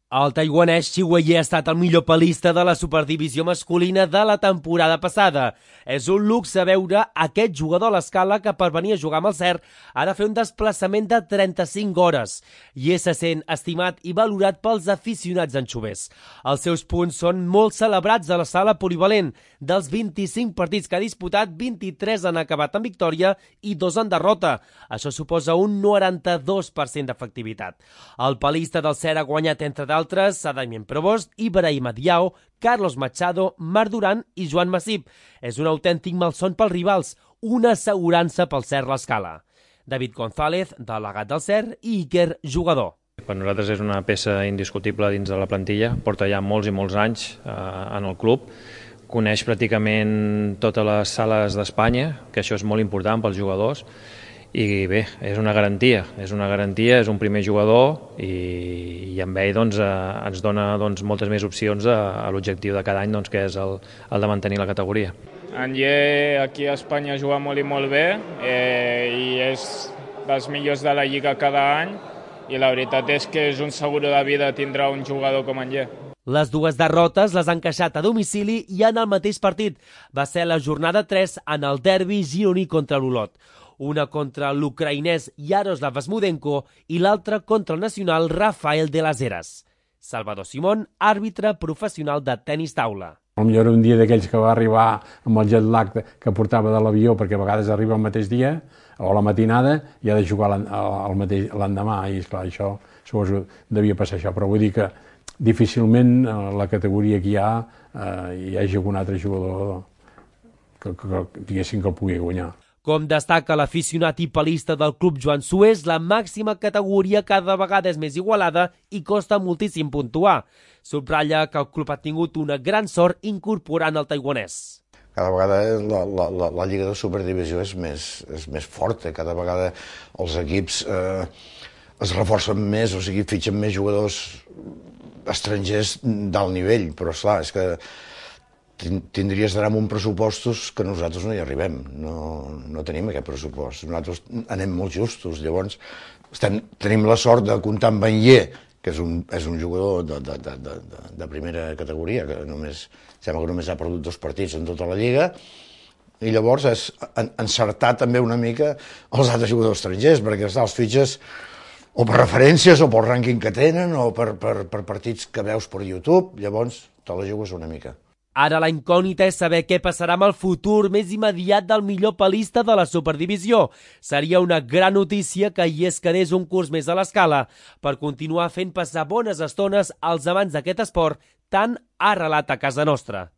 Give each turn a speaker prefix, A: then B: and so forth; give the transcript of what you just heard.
A: El taiwanès Xi Weiye ha estat el millor palista de la superdivisió masculina de la temporada passada. És un luxe veure aquest jugador a l'escala que per venir a jugar amb el CER ha de fer un desplaçament de 35 hores i se sent estimat i valorat pels aficionats anxovers. Els seus punts són molt celebrats a la sala polivalent. Dels 25 partits que ha disputat, 23 han acabat en victòria i 2 en derrota. Això suposa un 92% d'efectivitat. El palista del CER ha guanyat entre d'altres a Damien Provost, Ibrahima Diao, Carlos Machado, Marc Duran i Joan Masip. És un autèntic malson pels rivals, una assegurança pel CER l'escala. David González, delegat del CER, i Iker, jugador.
B: Per nosaltres és una peça indiscutible dins de la plantilla, porta ja molts i molts anys en el club, coneix pràcticament totes les sales d'Espanya, que això és molt important pels jugadors, i bé, és una garantia, és un primer jugador i amb ell ens dona moltes més opcions a l'objectiu de cada any, que és el de mantenir la categoria.
C: En Ye aquí a Espanya juga molt i molt bé i és dels millors de la Lliga cada any i la veritat és que és un seguro de vida tindrà un jugador com en Ye.
A: Les dues derrotes les han encaixat a domicili i en el mateix partit. Va ser la jornada 3 en el derbi gironí contra l'Olot. Una contra l'ucraïnès Yaroslav Vasmudenko i l'altra contra el nacional Rafael de las Heras. Salvador Simón, àrbitre professional de tenis taula.
D: Potser era un dia d'aquells que va arribar amb el jet lag que portava de l'avió, perquè a vegades arriba el mateix dia o la matinada i ha de jugar l'endemà, i esclar, això suposo devia passar això, però vull dir que difícilment la categoria que hi hagi algun altre jugador que diguéssim que el pugui guanyar.
A: Com destaca l'aficionat i palista del club Joan Suez, la màxima categoria cada vegada és més igualada i costa moltíssim puntuar. Subratlla que el club ha tingut una gran sort incorporant el taiwanès.
E: Cada vegada la Lliga de Superdivisió és més forta, cada vegada els equips es reforcen més, o sigui, fitxen més jugadors estrangers d'alt nivell, però esclar, és que tindries d'anar amb uns pressupostos que nosaltres no hi arribem, no tenim aquest pressupost, nosaltres anem molt justos, llavors tenim la sort de comptar amb en Ye, que és un jugador de primera categoria, que sembla que només ha perdut 2 partits en tota la Lliga, i llavors és encertar també una mica els altres jugadors estrangers, perquè els fitxes o per referències o pel rànquing que tenen o per partits que veus per YouTube, llavors te la jugues una mica.
A: Ara la incògnita és saber què passarà amb el futur més immediat del millor palista de la Superdivisió. Seria una gran notícia que hi es quedés un curs més a l'escala per continuar fent passar bones estones als amants d'aquest esport tan arrelat a casa nostra.